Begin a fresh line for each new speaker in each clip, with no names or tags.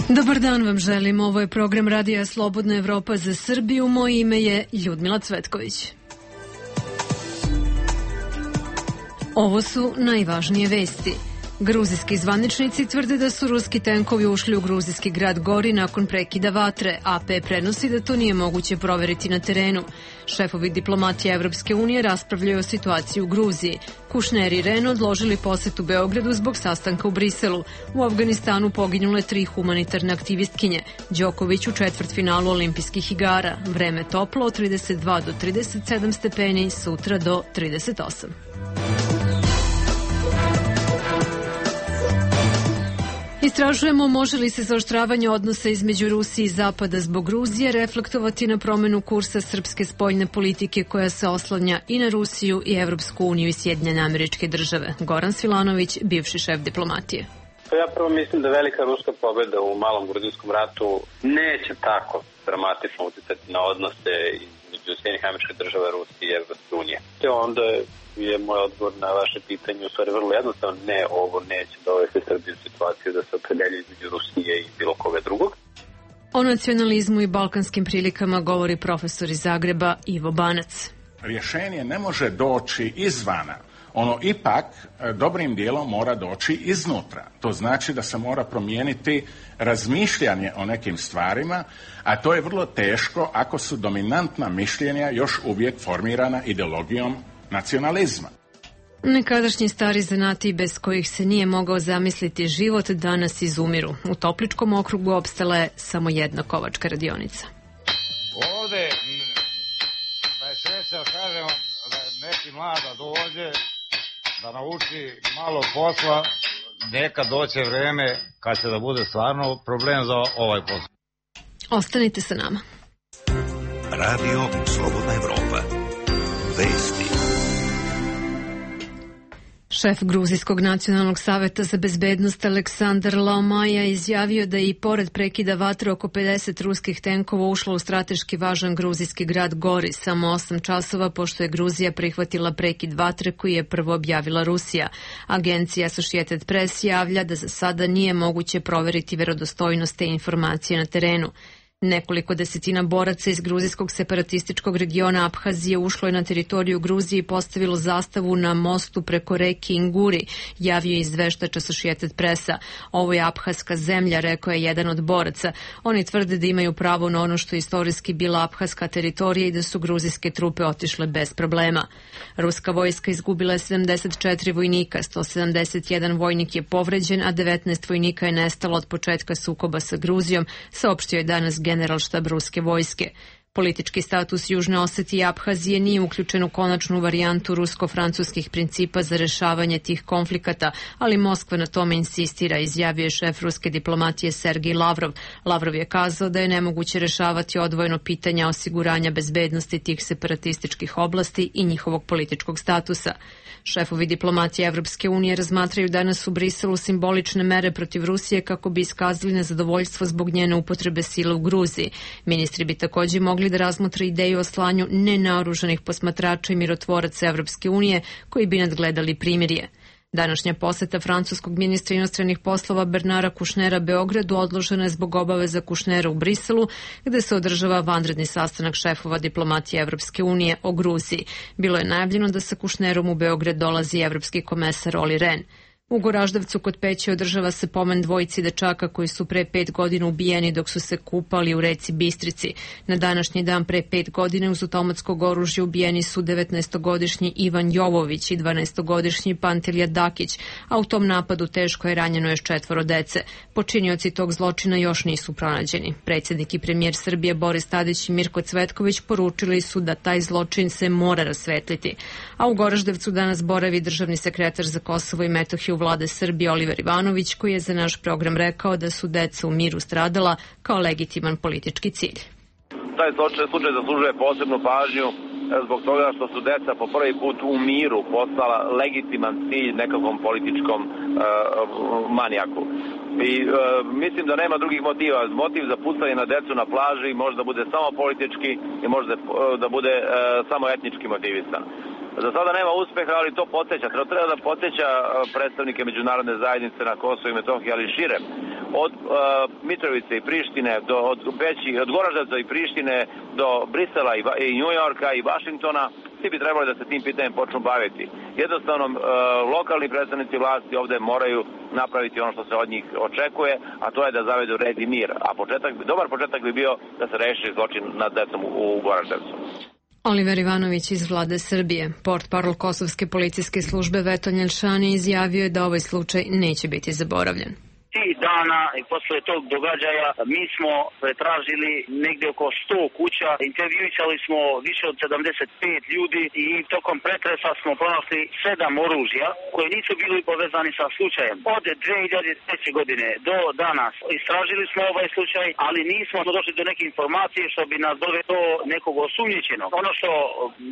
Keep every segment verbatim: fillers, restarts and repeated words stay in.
Dobar dan vam želim, ovo je program Radija Slobodna Evropa za Srbiju, moje ime je Ljudmila Cvetković. Ovo su najvažnije vesti. Gruzijski zvaničnici tvrde da su ruski tenkovi ušli u gruzijski grad Gori nakon prekida vatre. A P prenosi da to nije moguće proveriti na terenu. Šefovi diplomatije Evropske unije raspravljaju o situaciji u Gruziji. Kušner i Ren odložili posetu Beogradu zbog sastanka u Briselu. U Afganistanu poginule tri humanitarne aktivistkinje. Đoković u četvrtfinalu olimpijskih igara. Vreme toplo od trideset dva do trideset sedam stepeni, sutra do trideset osam. Istražujemo može li se zaoštravanje odnosa između Rusije i Zapada zbog Gruzije reflektovati na promenu kursa srpske spoljne politike koja se oslanja i na Rusiju i Evropsku uniju i Sjedinjene Američke Države. Goran Svilanović, bivši šef diplomatije.
Ja prvo mislim da velika ruska pobjeda u malom gruzijskom ratu neće tako dramatično utjecati na odnose između Sjedinjenih Američkih Država, Rusije i Evropske unije. Te onda je moj odgovor na vaše pitanje u stvari vrlo jednostavno, ne, ovo neće dovesti Srbiju u situaciju da se opredelje između Rusije i bilo koga drugog.
O nacionalizmu i balkanskim prilikama govori profesor iz Zagreba Ivo Banac.
Rješenje ne može doći izvana. Ono ipak dobrim dijelom mora doći iznutra. To znači da se mora promijeniti razmišljanje o nekim stvarima, a to je vrlo teško ako su dominantna mišljenja još uvijek formirana ideologijom nacionalizma.
Nekadašnji stari zanati bez kojih se nije mogao zamisliti život danas izumiru. U Topličkom okrugu opstala je samo jedna kovačka radionica.
Ovde da je sreća, kažemo, da neki mlada dođe, da nauči malo posla, nekad doće vreme kad će da bude stvarno problem za ovaj posao.
Ostanite sa nama.
Radio Slobodna Evropa. Vesti.
Šef Gruzijskog nacionalnog saveta za bezbednost Aleksandar Laomaja izjavio da je i pored prekida vatre oko pedeset ruskih tenkova ušlo u strateški važan gruzijski grad Gori samo osam časova pošto je Gruzija prihvatila prekid vatre koji je prvo objavila Rusija. Agencija Associated Press javlja da za sada nije moguće proveriti verodostojnost te informacije na terenu. Nekoliko desetina boraca iz gruzijskog separatističkog regiona Abhazije ušlo je na teritoriju Gruzije i postavilo zastavu na mostu preko reke Inguri, javio je izveštač Associated Pressa. Ovo je abhazska zemlja, rekao je jedan od boraca. Oni tvrde da imaju pravo na ono što je istorijski bila abhazska teritorija i da su gruzijske trupe otišle bez problema. Ruska vojska izgubila je sedamdeset četiri vojnika, sto sedamdeset jedan vojnik je povređen, a devetnaest vojnika je nestalo od početka sukoba sa Gruzijom, saopštio je danas generalštab ruske vojske. Politički status Južne Osetije i Abhazije nije uključen u konačnu varijantu rusko-francuskih principa za rešavanje tih konflikata, ali Moskva na tome insistira, izjavio je šef ruske diplomatije Sergij Lavrov. Lavrov je kazao da je nemoguće rešavati odvojeno pitanja osiguranja bezbednosti tih separatističkih oblasti i njihovog političkog statusa. Šefovi diplomatije Evropske unije razmatraju danas u Briselu simbolične mere protiv Rusije kako bi iskazali nezadovoljstvo zbog njene upotrebe sile u Gruziji. Ministri bi također mogli da razmotre ideju o slanju nenaoružanih posmatrača i mirotvoraca Evropske unije koji bi nadgledali primirje. Današnja poseta francuskog ministra inostranih poslova Bernara Kušnera Beogradu odložena je zbog obaveza Kušnera u Briselu, gde se održava vanredni sastanak šefova diplomatije Evropske unije o Gruziji. Bilo je najavljeno da sa Kušnerom u Beograd dolazi evropski komesar Olli Rehn. U Goraždevcu kod Peći održava se pomen dvojici dečaka koji su pre pet godina ubijeni dok su se kupali u reci Bistrici. Na današnji dan pre pet godina uz automatskog oružja ubijeni su devetnaestogodišnji Ivan Jovović i dvanaestogodišnji Pantelija Dakić, a u tom napadu teško je ranjeno još četvoro dece. Počinioci tog zločina još nisu pronađeni. Predsjednik i premijer Srbije Boris Tadić i Mirko Cvetković poručili su da taj zločin se mora rasvetliti. A u Goraždevcu danas boravi državni sekretar za Kosovo i Metohiju vlade Srbije Oliver Ivanović, koji je za naš program rekao da su deca u miru stradala kao legitiman politički cilj.
Taj slučaj zaslužuje posebnu pažnju zbog toga što su deca po prvi put u miru postala legitiman cilj nekakvom političkom uh, manijaku. I uh, mislim da nema drugih motiva. Motiv za pucanje na decu na plaži može da bude samo politički i može da, uh, da bude uh, samo etnički motivisan. Za sada nema uspeha, ali to podsjeća. Treba da podsjeća predstavnike međunarodne zajednice na Kosovo i Metohiji, ali šire, od uh, Mitrovice i Prištine, do, od, Beći, od Goraždevca i Prištine do Brisela i, i Njujorka i Vašingtona, svi bi trebali da se tim pitanjem počnu baviti. Jednostavno, uh, lokalni predstavnici vlasti ovde moraju napraviti ono što se od njih očekuje, a to je da zavedu red i mir. A početak, dobar početak bi bio da se reši zločin nad decom u, u Goraždevcu.
Oliver Ivanović iz vlade Srbije. Portparol Kosovske policijske službe Vetolj Elšani izjavio je da ovaj slučaj neće biti zaboravljen.
Tih dana i posle tog događaja mi smo pretražili negdje oko sto kuća, intervjuisali smo više od sedamdeset pet ljudi i tokom pretresa smo pronašli sedam oružja koje nisu bili povezani sa slučajem. Od dve hiljade treće. godine do danas istražili smo ovaj slučaj, ali nismo došli do neke informacije što bi nas dovelo do nekog osumnjičenog. Ono što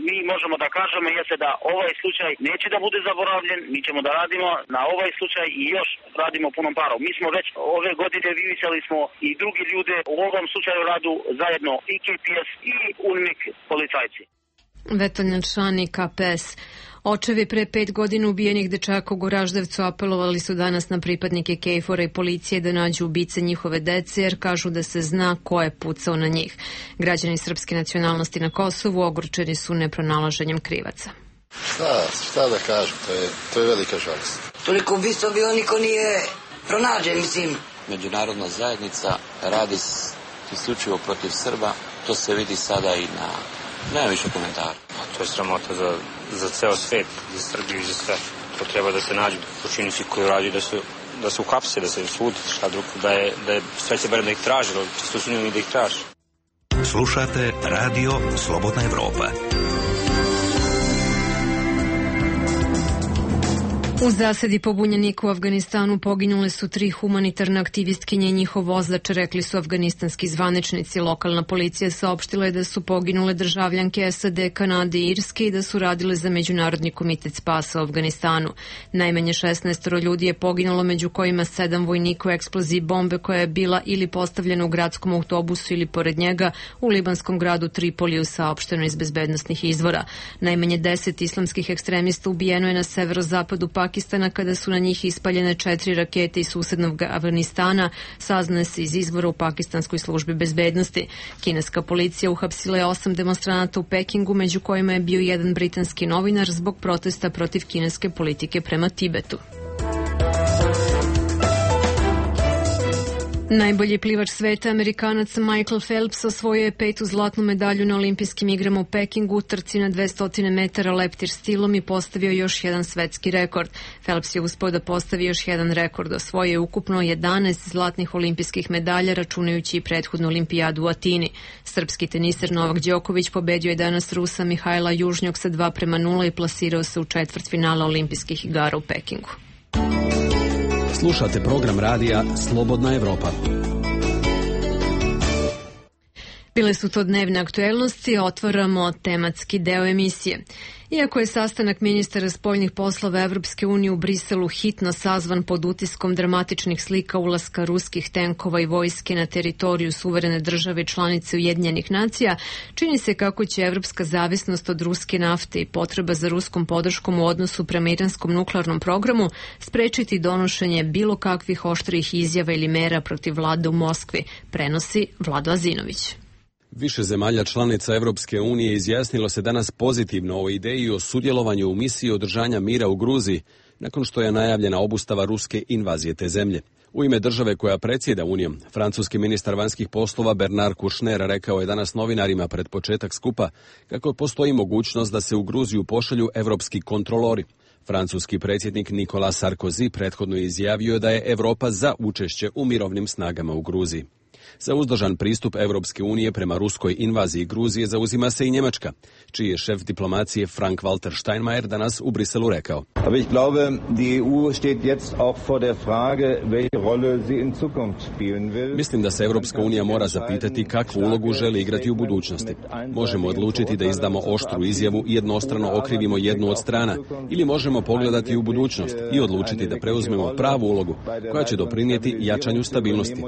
mi možemo da kažemo jeste da ovaj slučaj neće da bude zaboravljen, mi ćemo da radimo na ovaj slučaj i još radimo punom parom. Mi smo već ove godine vidjeli smo i drugi ljude u ovom slučaju radu zajedno i K P S i UNMIK policajci.
Vetolj Elšani, K P S. Očevi pre pet godina ubijenih dečaka u Goraždevcu apelovali su danas na pripadnike KFOR-a i policije da nađu ubice njihove dece jer kažu da se zna ko je pucao na njih. Građani srpske nacionalnosti na Kosovu ogorčeni su nepronalaženjem krivaca.
Šta, šta da kažem, to je, to je velika žalost.
Toliko ubistva bilo niko nije pronađen, mislim.
Međunarodna zajednica radi isključivo protiv Srba, to se vidi sada i na... Nema više komentara.
To je sramota za, za ceo svet, za Srbiju i za sve. To treba da se nađu počinnici koji radi, da se, da se uhapse, da se sudi, šta drugo, da je, da je sreće barem da ih traži, ali čisto sumnjam i da ih traži.
Slušate Radio Slobodna Evropa.
U zasadi pobunjenika u Afganistanu poginule su tri humanitarne aktivistkinje i njihov vozač, rekli su afganistanski zvaničnici. Lokalna policija saopštila je da su poginule državljanke S A D, Kanade i Irske i da su radile za Međunarodni komitet spasa u Afganistanu. Najmanje šesnaest ljudi je poginulo, među kojima sedam vojnika u eksploziji bombe koja je bila ili postavljena u gradskom autobusu ili pored njega u libanskom gradu Tripoliju, saopšteno iz bezbednosnih izvora. Najmanje deset islamskih ekstremista ubijeno je na severozapadu Pakistana Pakistana kada su na njih ispaljene četiri rakete iz susednog Afganistana, saznaje se iz izvora u pakistanskoj službi bezbednosti. Kineska policija uhapsila je osam demonstranata u Pekingu, među kojima je bio jedan britanski novinar zbog protesta protiv kineske politike prema Tibetu. Najbolji plivač sveta, Amerikanac Michael Phelps, osvojio je petu zlatnu medalju na olimpijskim igrama u Pekingu u trci na dvesta metara leptir stilom i postavio još jedan svetski rekord. Phelps je uspeo da postavi još jedan rekord, osvojio je ukupno jedanaest zlatnih olimpijskih medalja, računajući i prethodnu olimpijadu u Atini. Srpski teniser Novak Đoković pobedio je danas Rusa Mihajla Južnjog sa dva prema nula i plasirao se u četvrtfinale olimpijskih igara u Pekingu.
Slušate program radija Slobodna Evropa.
Bile su to dnevne aktuelnosti, otvaramo tematski deo emisije. Iako je sastanak ministara spoljnih poslova Evropske unije u Briselu hitno sazvan pod utiskom dramatičnih slika ulaska ruskih tenkova i vojske na teritoriju suverene države članice Ujedinjenih nacija, čini se kako će evropska zavisnost od ruske nafte i potreba za ruskom podrškom u odnosu prema iranskom nuklearnom programu sprečiti donošenje bilo kakvih oštrih izjava ili mera protiv vlade u Moskvi, prenosi Vlado Azinović.
Više zemalja članica Evropske unije izjasnilo se danas pozitivno o ideji o sudjelovanju u misiji održanja mira u Gruziji, nakon što je najavljena obustava ruske invazije te zemlje. U ime države koja predsjeda Unijom, francuski ministar vanjskih poslova Bernard Kouchner rekao je danas novinarima pred početak skupa kako postoji mogućnost da se u Gruziju pošalju evropski kontrolori. Francuski predsjednik Nicolas Sarkozy prethodno izjavio da je Evropa za učešće u mirovnim snagama u Gruziji. Za uzdržan pristup Evropske unije prema ruskoj invaziji Gruzije zauzima se i Njemačka, čiji je šef diplomacije Frank-Walter Steinmeier danas u Briselu rekao.
Aber ich glaube, die E U steht jetzt auch vor der Frage, welche Rolle sie in Zukunft spielen will.
Mislim da se Evropska unija mora zapitati kakvu ulogu želi igrati u budućnosti. Možemo odlučiti da izdamo oštru izjavu i jednostrano okrivimo jednu od strana, ili možemo pogledati u budućnost i odlučiti da preuzmemo pravu ulogu koja će doprinijeti jačanju stabilnosti.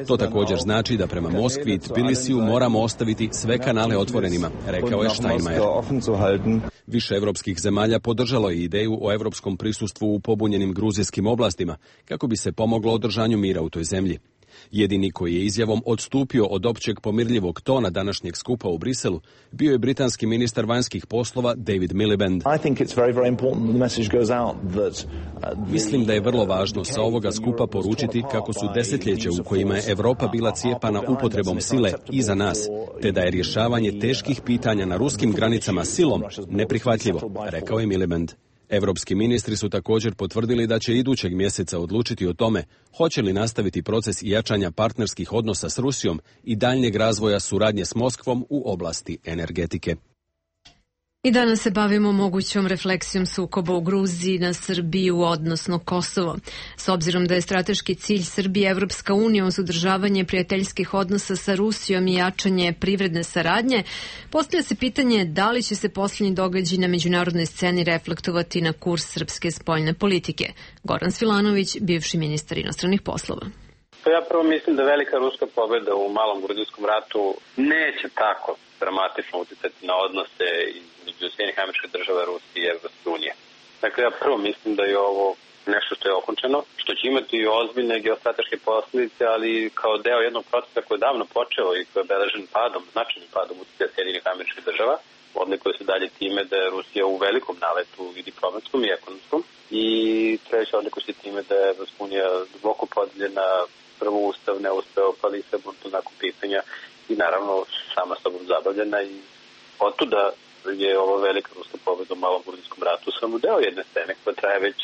To također također znači da prema Moskvi i Tbilisiju moramo ostaviti sve kanale otvorenima, rekao je Steinmeier. Više evropskih zemalja podržalo je ideju o evropskom prisustvu u pobunjenim gruzijskim oblastima kako bi se pomoglo održanju mira u toj zemlji. Jedini koji je izjavom odstupio od općeg pomirljivog tona današnjeg skupa u Briselu bio je britanski ministar vanjskih poslova David Miliband. Mislim da je vrlo važno sa ovoga skupa poručiti kako su desetljeće u kojima je Europa bila cijepana upotrebom sile iza nas, te da je rješavanje teških pitanja na ruskim granicama silom neprihvatljivo, rekao je Miliband. Evropski ministri su također potvrdili da će idućeg mjeseca odlučiti o tome hoće li nastaviti proces jačanja partnerskih odnosa s Rusijom i daljnjeg razvoja suradnje s Moskvom u oblasti energetike.
I danas se bavimo mogućom refleksijom sukoba u Gruziji na Srbiju, odnosno Kosovo. S obzirom da je strateški cilj Srbije Evropska unija uz održavanje prijateljskih odnosa sa Rusijom i jačanje privredne saradnje, postavlja se pitanje da li će se posljednji događaj na međunarodnoj sceni reflektovati na kurs srpske spoljne politike. Goran Svilanović, bivši ministar inostranih poslova.
Ja prvo mislim da velika ruska pobjeda u malom gruzijskom ratu neće tako dramatično utjecati na odnose između Sjedinjenih Američkih Država, Rusije i Evropske unije. Dakle, ja prvo mislim da je ovo nešto što je okončano, što će imati ozbiljne geostrateške posljedice, ali kao deo jednog procesa koji je davno počeo i koji je obeležen padom, značajnim padom utjecaja Sjedinjenih Američkih Država, odlikuje se dalje time da je Rusija u velikom naletu i diplomatskom i ekonomskom, i treće odlikuje se time da je Evropska unija duboko podeljena, prvo ustav ne uspeo, pa Lisabon, to nakon pitanja, i naravno sama sobom zabavljena, i otuda je ova velika ruska pobjeda u malom gruzijskom ratu samo deo jedne scene koja traje već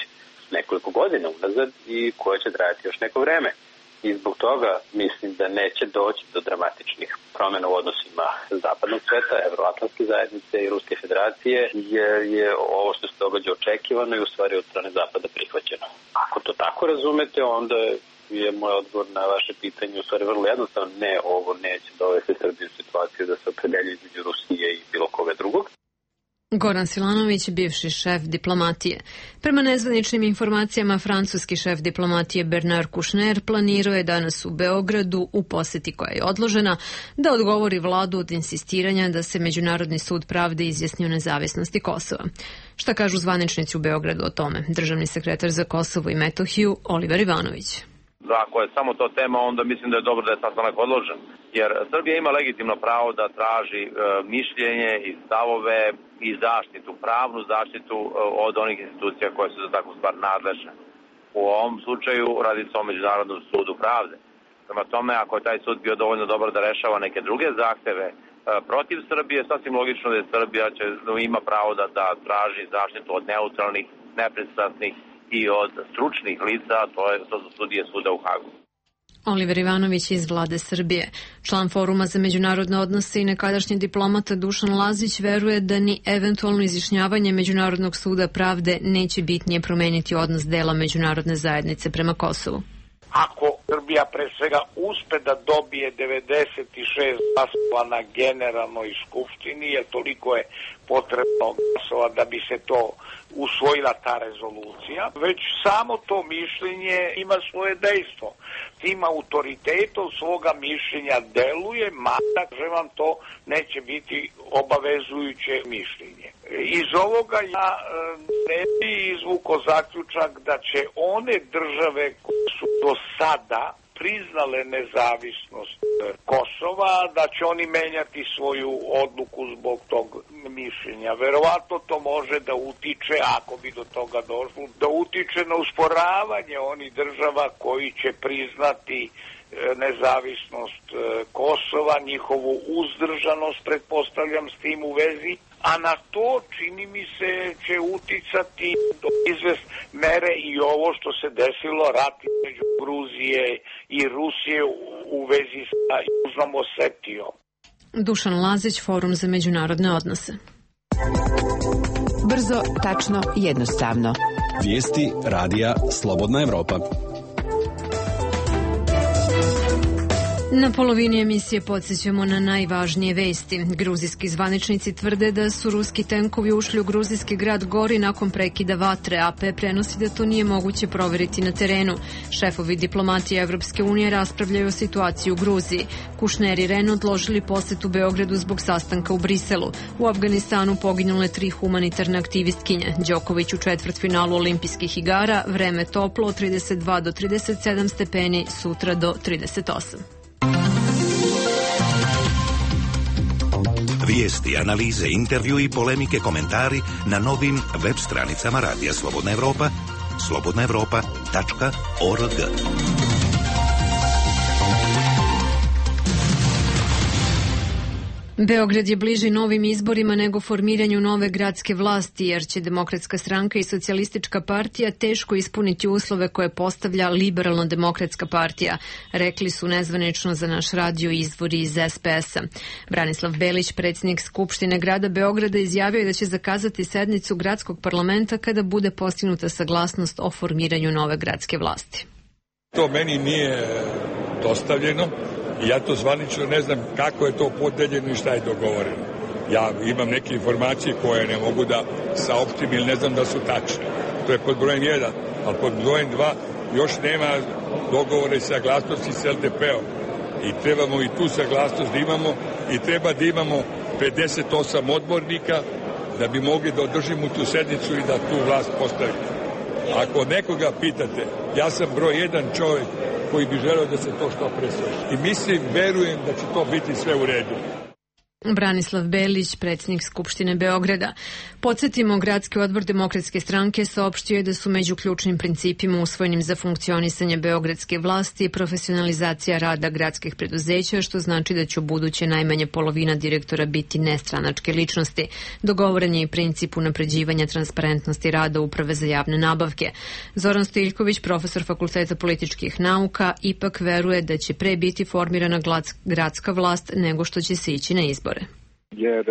nekoliko godina unazad i koja će trajati još neko vreme. I zbog toga mislim da neće doći do dramatičnih promjena u odnosima zapadnog sveta, Evroatlantske zajednice i Ruske federacije, jer je ovo što se događa očekivano i u stvari od strane zapada prihvaćeno. Ako to tako razumete, onda je moj odgovor na vaše pitanje u stvari vrlo jednostavno. Ne, ovo neće dovesti Srbiju u situaciju da se opredelji između Rusije i bilo koga drugog.
Goran Silanović, bivši šef diplomatije. Prema nezvaničnim informacijama, francuski šef diplomatije Bernard Kouchner planirao je danas u Beogradu, u posjeti koja je odložena, da odgovori vladu od insistiranja da se Međunarodni sud pravde izjasni o nezavisnosti Kosova. Šta kažu zvaničnici u Beogradu o tome? Državni sekretar za Kosovo i Metohiju Oliver Ivanović.
Ako je samo to tema, onda mislim da je dobro da je sastanak odložen. Jer Srbija ima legitimno pravo da traži e, mišljenje i stavove i zaštitu, pravnu zaštitu e, od onih institucija koje su za takvu stvar nadležne. U ovom slučaju radi se o Međunarodnom sudu pravde. Prema tome, ako je taj sud bio dovoljno dobar da rešava neke druge zahteve e, protiv Srbije, sasvim logično da je Srbija će, ima pravo da, da traži zaštitu od neutralnih, nepristrasnih i od stručnih lica, to, je, to su sudije suda u Hagu.
Oliver Ivanović iz vlade Srbije. Član Foruma za međunarodne odnose i nekadašnji diplomata Dušan Lazić veruje da ni eventualno izjašnjavanje Međunarodnog suda pravde neće bitnije promeniti odnos dela međunarodne zajednice prema Kosovu.
Ako Srbija pre svega uspe da dobije devedeset šest glasova na generalnoj skupštini, jer toliko je potrebno glasova da bi se to usvojila ta rezolucija, već samo to mišljenje ima svoje dejstvo. Tim autoritetom svoga mišljenja deluje, mada že vam to neće biti obavezujuće mišljenje. Iz ovoga ja ne bi izvuko zaključak da će one države koje su do sada priznale nezavisnost Kosova, da će oni menjati svoju odluku zbog tog mišljenja. Verovatno to može da utiče, ako bi do toga došlo, da utiče na usporavanje onih država koji će priznati nezavisnost Kosova, njihovu uzdržanost, pretpostavljam s tim u vezi, a na to čini mi se će uticati do izvest mere i ovo što se desilo, rat između Gruzije i Rusije u vezi sa Južnom Osetijom.
Dušan Lazić, Forum za međunarodne odnose.
Brzo, tačno, jednostavno.
Vijesti radija Slobodna Evropa.
Na polovini emisije podsjećamo na najvažnije vesti. Gruzijski zvaničnici tvrde da su ruski tenkovi ušli u gruzijski grad Gori nakon prekida vatre. A P prenosi da to nije moguće proveriti na terenu. Šefovi diplomatije Evropske unije raspravljaju o situaciji u Gruziji. Kušner i Ren odložili posetu Beogradu zbog sastanka u Briselu. U Afganistanu poginule tri humanitarne aktivistkinje. Đoković u četvrtfinalu olimpijskih igara. Vreme toplo od trideset dva do trideset sedam stepeni, sutra do trideset osam.
Vijesti, analize, intervju i polemike, komentari na novim web stranicama Radija Slobodna Evropa, slobodna evropa tačka org.
Beograd je bliži novim izborima nego formiranju nove gradske vlasti, jer će Demokratska stranka i Socijalistička partija teško ispuniti uslove koje postavlja Liberalno-demokratska partija, rekli su nezvanično za naš radio izvori iz es pe es a. Branislav Belić, predsjednik Skupštine grada Beograda, izjavio je da će zakazati sednicu gradskog parlamenta kada bude postignuta saglasnost o formiranju nove gradske vlasti.
To meni nije dostavljeno. Ja to zvanično ne znam kako je to podeljeno i šta je dogovoreno. Ja imam neke informacije koje ne mogu da saopštim ili ne znam da su tačne. To je pod brojem jedan, ali pod brojem dva još nema dogovore i saglasnosti s el de pe-om. I trebamo i tu saglasnost da imamo i treba da imamo pedeset osam odbornika da bi mogli da održimo tu sednicu i da tu vlast postavimo. Ako nekoga pitate, ja sam broj jedan čovjek koji bi želeo da se to što pre svrši. I mislim, verujem da će to biti sve u redu.
Branislav Belić, predsjednik Skupštine Beograda. Podsjetimo, Gradski odbor Demokratske stranke saopštio je da su među ključnim principima usvojenim za funkcionisanje beogradske vlasti profesionalizacija rada gradskih preduzeća, što znači da će u buduće najmanje polovina direktora biti nestranačke ličnosti. Dogovoren je i princip unapređivanja transparentnosti rada Uprave za javne nabavke. Zoran Stiljković, profesor Fakulteta političkih nauka, ipak veruje da će pre biti formirana gradska vlast nego što će se ići na izbor.
Jer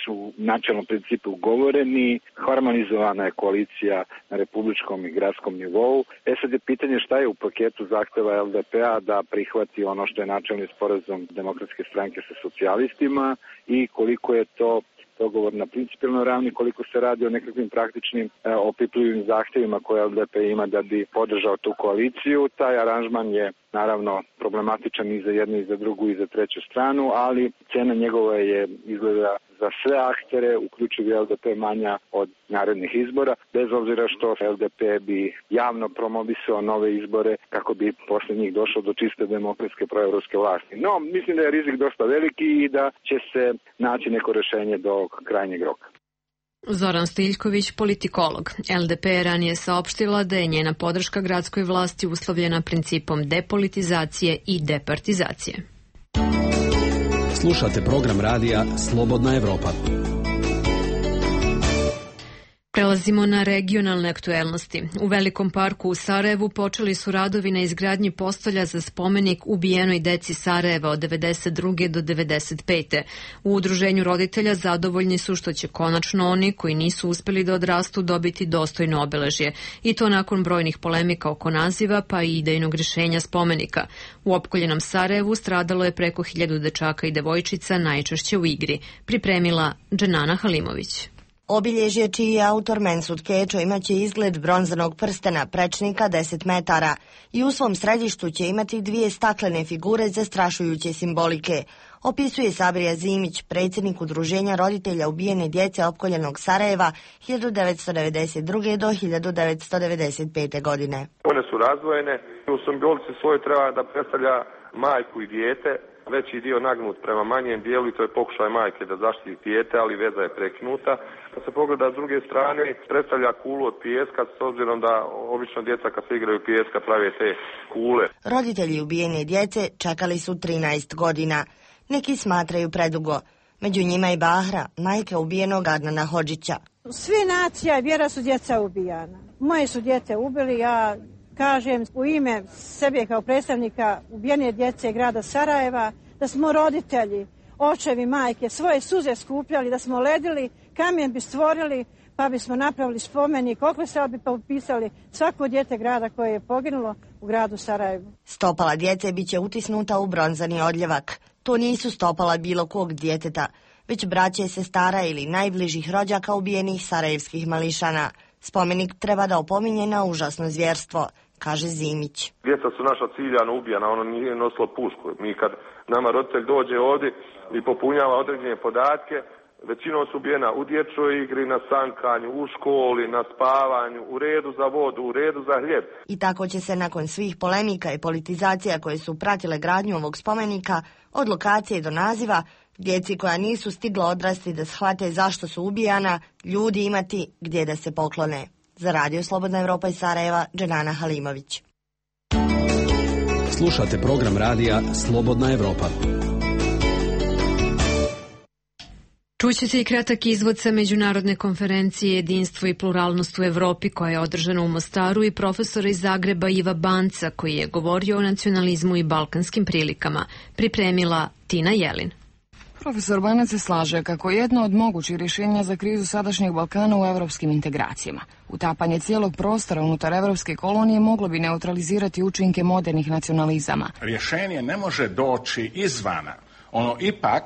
su načelno principi ugovoreni, harmonizovana je koalicija na republičkom i gradskom nivou. E sad je pitanje šta je u paketu zahteva el de pe-a da prihvati ono što je načelni sporazum Demokratske stranke sa socijalistima i koliko je to dogovor na principijelnoj ravni, koliko se radi o nekakvim praktičnim e, opipljivim zahtjevima koje el de pe ima da bi podržao tu koaliciju. Taj aranžman je naravno problematičan i za jednu i za drugu i za treću stranu, ali cena njegova je izgleda za sve aktere, uključivo el de pe manja od narednih izbora, bez obzira što el de pe bi javno promovisao nove izbore kako bi posle njih došlo do čiste demokratske proevropske vlasti. No, mislim da je rizik dosta veliki i da će se naći neko rešenje do krajnjeg roka.
Zoran Stiljković, politikolog. el de pe je ranije saopštila da je njena podrška gradskoj vlasti uslovljena principom depolitizacije i departizacije.
Slušate program radija Slobodna Evropa.
Prelazimo na regionalne aktuelnosti. U Velikom parku u Sarajevu počeli su radovi na izgradnji postolja za spomenik ubijenoj deci Sarajeva od devedeset druge do devedeset pete. U udruženju roditelja zadovoljni su što će konačno oni koji nisu uspeli da odrastu dobiti dostojno obeležje. I to nakon brojnih polemika oko naziva pa i idejnog rješenja spomenika. U opkoljenom Sarajevu stradalo je preko hiljadu dečaka i devojčica, najčešće u igri. Pripremila Dženana Halimović.
Obilježje čiji je autor Mensud Kečo imaće izgled bronzanog prstena prečnika deset metara i u svom središtu će imati dvije staklene figure zastrašujuće simbolike, opisuje Sabrija Zimić, predsjednik udruženja roditelja ubijene djece opkoljenog Sarajeva hiljadu devetsto devedeset druge do hiljadu devetsto devedeset pete. godine.
One su razdvojene, u simbolici svoje treba da predstavlja majku i dijete, veći dio nagnut prema manjem dijelu i to je pokušaj majke da zaštiti dijete, ali veza je prekinuta. Kad se pogleda s druge strane, predstavlja kulu od pijeska, s obzirom da obično djeca kad se igraju pijeska prave te kule.
Roditelji ubijene djece čekali su trinaest godina. Neki smatraju predugo. Među njima i Bahra, majka ubijenog Adnana Hodžića.
Sve nacija i vjera su djeca ubijana. Moje su djete ubili, ja kažem u ime sebe kao predstavnika ubijene djece grada Sarajeva, da smo roditelji, očevi, majke, svoje suze skupljali, da smo ledili, kamen bi stvorili, pa bismo napravili spomenik, oko se bi upisali svako dijete grada koje je poginulo, u gradu Sarajevu.
Stopala djece biće utisnuta u bronzani odljevak. To nisu stopala bilo kog djeteta, već braće, sestara ili najbližih rođaka ubijenih sarajevskih mališana. Spomenik treba da opominje na užasno zvjerstvo, kaže Zimić.
Djeca su naša ciljano ubijana, ono nije nosilo pušku. Mi kad nama roditelj dođe ovdje i popunjava određene podatke, većinom su ubijena u dječjoj igri, na sankanju, u školi, na spavanju, u redu za vodu, u redu za hljeb.
I tako će se nakon svih polemika i politizacija koje su pratile gradnju ovog spomenika, od lokacije do naziva, djeci koja nisu stigla odrasti da shvate zašto su ubijana, ljudi imati gdje da se poklone. Za Radio Slobodna Evropa iz Sarajeva, Dženana Halimović.
Slušate program radija Slobodna Evropa.
Čućete i kratak izvod sa Međunarodne konferencije Jedinstvo i pluralnost u Evropi koja je održana u Mostaru i profesora iz Zagreba Iva Banca koji je govorio o nacionalizmu i balkanskim prilikama. Pripremila Tina Jelin.
Profesor Banac se slaže kako je jedno od mogućih rješenja za krizu sadašnjeg Balkana u evropskim integracijama. Utapanje cijelog prostora unutar evropske kolonije moglo bi neutralizirati učinke modernih nacionalizama.
Rješenje ne može doći izvana. Ono ipak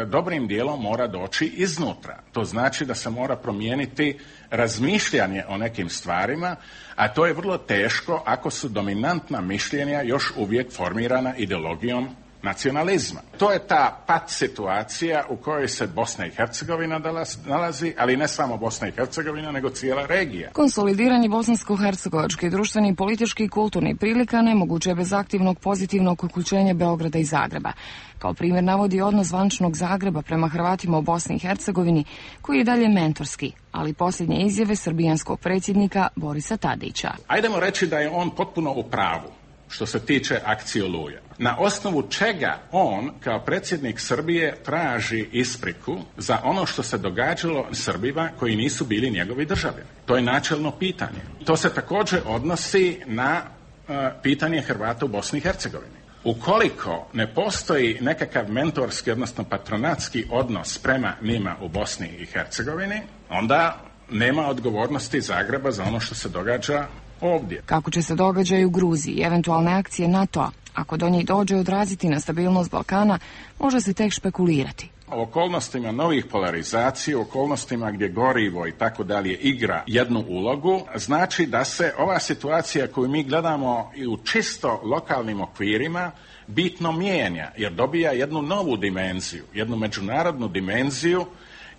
dobrim dijelom mora doći iznutra. To znači da se mora promijeniti razmišljanje o nekim stvarima, a to je vrlo teško ako su dominantna mišljenja još uvijek formirana ideologijom nacionalizma. To je ta pat situacija u kojoj se Bosna i Hercegovina nalazi, ali ne samo Bosna i Hercegovina, nego cijela regija.
Konsolidiranje bosansko-hercegovačke društveni, politički i kulturni prilika nemoguće je bez aktivnog pozitivnog uključenja Beograda i Zagreba. Kao primjer navodi odnos zvančnog Zagreba prema Hrvatima u Bosni i Hercegovini, koji je dalje mentorski, ali posljednje izjave srbijanskog predsjednika Borisa Tadića.
Ajdemo reći da je on potpuno u pravu što se tiče akcije Oluja. Na osnovu čega on, kao predsjednik Srbije, traži ispriku za ono što se događalo Srbima koji nisu bili njegovi državljani? To je načelno pitanje. To se također odnosi na uh, pitanje Hrvata u Bosni i Hercegovini. Ukoliko ne postoji nekakav mentorski, odnosno patronatski odnos prema njima u Bosni i Hercegovini, onda nema odgovornosti Zagreba za ono što se događa ovdje.
Kako će se događaj u Gruziji i eventualne akcije NATO-a, ako do njih dođe, odraziti na stabilnost Balkana, može se tek špekulirati.
U okolnostima novih polarizacija, u okolnostima gdje gorivo i tako dalje igra jednu ulogu, znači da se ova situacija koju mi gledamo i u čisto lokalnim okvirima bitno mijenja, jer dobija jednu novu dimenziju, jednu međunarodnu dimenziju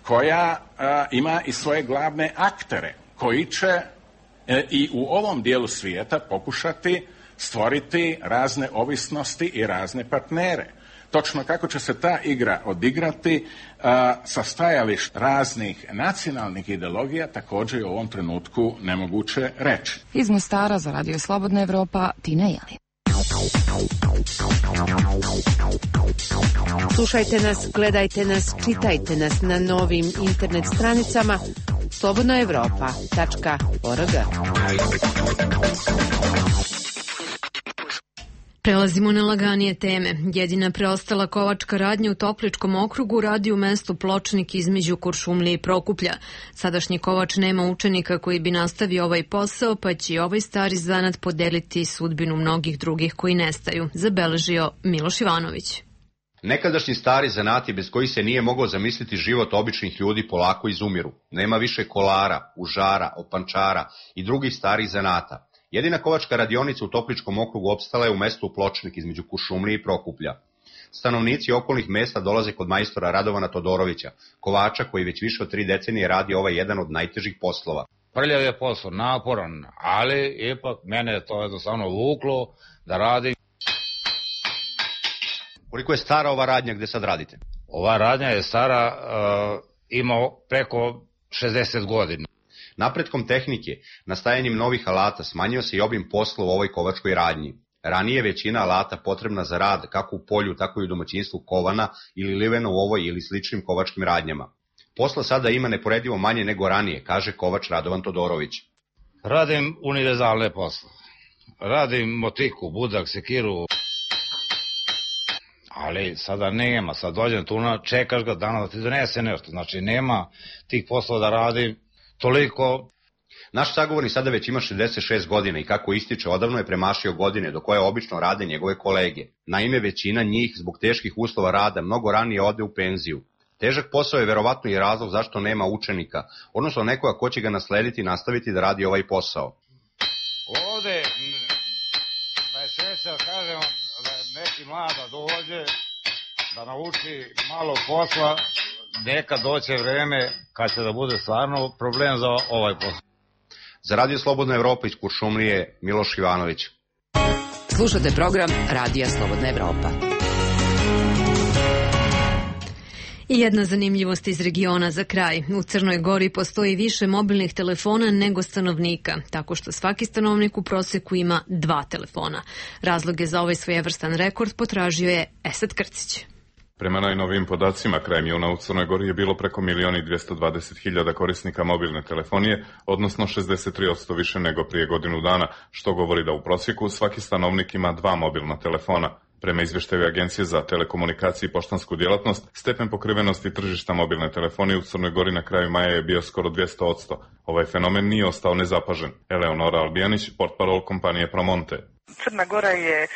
koja a, ima i svoje glavne aktere, koji će e, i u ovom dijelu svijeta pokušati stvoriti razne ovisnosti i razne partnere. Točno kako će se ta igra odigrati a, sa stajališta raznih nacionalnih ideologija također je u ovom trenutku nemoguće reći.
Iz Mostara za Radio Slobodna Evropa, Tina Jelin.
Slušajte nas, gledajte nas, čitajte nas na novim internet stranicama slobodna evropa tačka org.
Prelazimo na laganije teme. Jedina preostala kovačka radnja u Topličkom okrugu radi u mestu Pločnik između Kuršumlije i Prokuplja. Sadašnji kovač nema učenika koji bi nastavio ovaj posao, pa će i ovaj stari zanat podeliti sudbinu mnogih drugih koji nestaju, zabeležio Miloš Ivanović.
Nekadašnji stari zanati bez kojih se nije mogao zamisliti život običnih ljudi polako izumiru. Nema više kolara, užara, opančara i drugih starih zanata. Jedina kovačka radionica u Topličkom okrugu opstala je u mestu Pločnik između Kuršumlije i Prokuplja. Stanovnici okolnih mesta dolaze kod majstora Radovana Todorovića, kovača koji već više od tri decenije radi ovaj jedan od najtežih poslova.
Prljav je posao, naporan, ali ipak mene je to jednostavno vuklo da radim.
Koliko je stara ova radnja gde sad radite?
Ova radnja je stara, uh, ima preko šezdeset godina.
Napretkom tehnike, nastajanjem novih alata smanjio se i obim posla u ovoj kovačkoj radnji. Ranije većina alata potrebna za rad kako u polju, tako i u domaćinstvu kovana ili livena u ovoj ili sličnim kovačkim radnjama. Posla sada ima neporedivo manje nego ranije, kaže kovač Radovan Todorović.
Radim univerzalne posle. Radim motiku, budak, sekiru. Ali sada nema, sad dođem tu, čekaš ga dana da ti donese nešto. Znači nema tih poslova da radim toliko.
Naš sagovornik sada već ima šezdeset šest godina i kako ističe, odavno je premašio godine do koje obično rade njegove kolege. Naime, većina njih zbog teških uslova rada mnogo ranije ode u penziju. Težak posao je verovatno i razlog zašto nema učenika, odnosno nekoga ko će ga naslediti i nastaviti da radi ovaj posao.
Ovde, da je sreća, kažemo, da neki mlada dođe, da nauči malo posla, nekad doće vreme kad će da bude stvarno problem za ovaj posao.
Za Radio Slobodna Evropa iz Kuršumlije, Miloš Ivanović.
Slušate program Radija Slobodna Evropa.
I jedna zanimljivost iz regiona za kraj. U Crnoj Gori postoji više mobilnih telefona nego stanovnika, tako što svaki stanovnik u proseku ima dva telefona. Razloge za ovaj svojevrstan rekord potražio je Esad Krcić.
Prema najnovijim podacima, krajem juna u Crnoj Gori je bilo preko milion i dvjesto dvadeset hiljada korisnika mobilne telefonije, odnosno šezdeset tri posto više nego prije godinu dana, što govori da u prosjeku svaki stanovnik ima dva mobilna telefona. Prema izveštaju Agencije za telekomunikacije i poštansku djelatnost, stepen pokrivenosti tržišta mobilne telefonije u Crnoj Gori na kraju maja je bio skoro dvjesto posto. Ovaj fenomen nije ostao nezapažen. Eleonora Albijanić, portparol kompanije Promonte.
Crna Gora je e,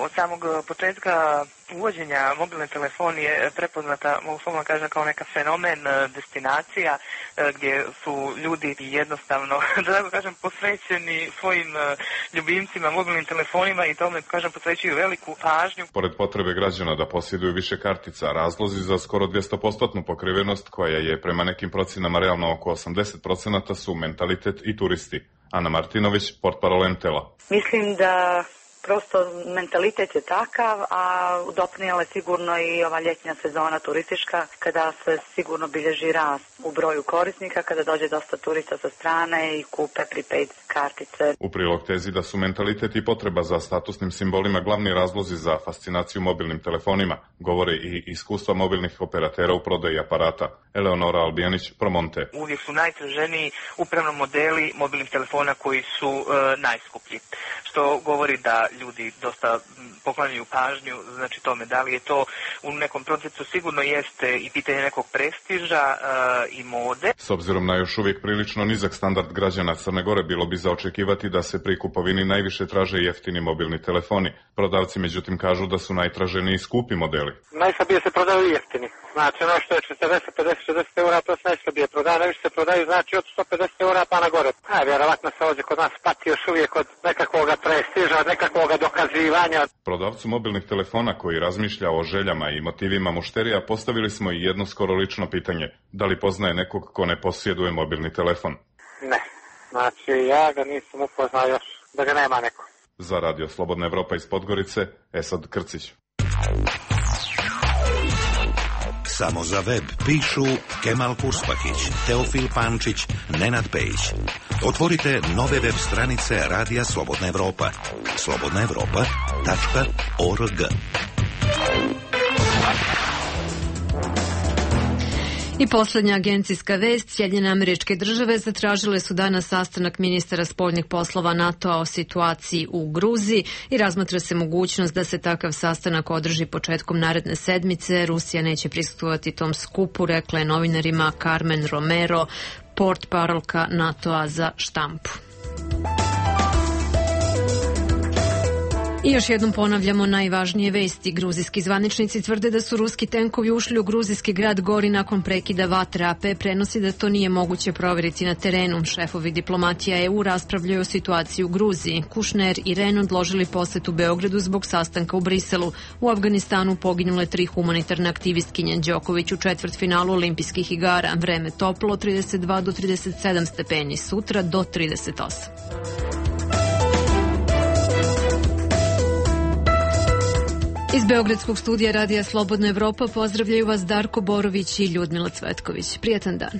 od samog početka uvođenja mobilne telefonije prepoznata, mogu slobodno kažem, kao neka fenomen, destinacija e, gdje su ljudi jednostavno, da tako kažem, posvećeni svojim e, ljubimcima, mobilnim telefonima i tome, kažem, posvećuju veliku pažnju.
Pored potrebe građana da posjeduju više kartica, razlozi za skoro dvjesto posto pokrivenost, koja je prema nekim procjenama realno oko osamdeset posto, su mentalitet i turisti. Ana Martinović, portparol Entela.
Mislim da prosto mentalitet je takav, a doprinijela je sigurno i ova ljetnja sezona turistička, kada se sigurno bilježi rast u broju korisnika, kada dođe dosta turista sa strane i kupe prepaid kartice.
U prilog tezi da su mentalitet i potreba za statusnim simbolima glavni razlozi za fascinaciju mobilnim telefonima, govore i iskustva mobilnih operatera u prodaji aparata. Eleonora Albijanić, Promonte.
Uvijek su najtraženiji upravno modeli mobilnih telefona koji su e, najskuplji, što govori da ljudi dosta poklanjaju pažnju, znači tome da li je to u nekom procesu, sigurno jeste i pitanje nekog prestiža e, i mode.
S obzirom na još uvijek prilično nizak standard građana Crne Gore, bilo bi za očekivati da se pri kupovini najviše traže jeftini mobilni telefoni. Prodavci međutim kažu da su najtraženiji skupi modeli.
Najslabije se prodaju jeftini. Znači ono što je četrdeset, pedeset, šezdeset eura, to se najslabije prodaje, najviše se prodaju znači od sto pedeset eura pa na gore. A vjerovatno se ovdje kod nas pati još uvijek od nekakvog prestiža, od nekakvog dokazivanja.
Prodavcu mobilnih telefona koji razmišlja o željama i motivima mušterija postavili smo i jedno skoro lično pitanje. Da li poznaje nekog ko ne posjeduje mobilni telefon?
Ne, znači ja ga nisam upoznao još, da ga nema neko.
Za Radio Slobodna Evropa iz Podgorice, Esad Krcić.
Samo za web pišu Kemal Kurspahić, Teofil Pančić, Nenad Pejić. Otvorite nove web stranice Radija Slobodna Evropa. slobodna evropa tačka org.
I posljednja agencijska vest, Sjedinjene Američke Države zatražile su danas sastanak ministara spoljnih poslova NATO-a o situaciji u Gruziji i razmatra se mogućnost da se takav sastanak održi početkom naredne sedmice. Rusija neće prisustvovati tom skupu, rekla je novinarima Carmen Romero, portparolka NATO-a za štampu. I još jednom ponavljamo najvažnije vesti. Gruzijski zvaničnici tvrde da su ruski tenkovi ušli u gruzijski grad Gori nakon prekida vatre. A P prenosi da to nije moguće provjeriti na terenu. Šefovi diplomatija E U raspravljaju o situaciji u Gruziji. Kušner i Ren odložili posjet u Beogradu zbog sastanka u Briselu. U Afganistanu poginule tri humanitarne aktivistkinje. Đoković u četvrtfinalu olimpijskih igara. Vreme toplo trideset dva do trideset sedam stepeni. Sutra do trideset osam. Iz Beogradskog studija Radija Slobodna Evropa pozdravljaju vas Darko Borović i Ljudmila Cvetković. Prijetan dan.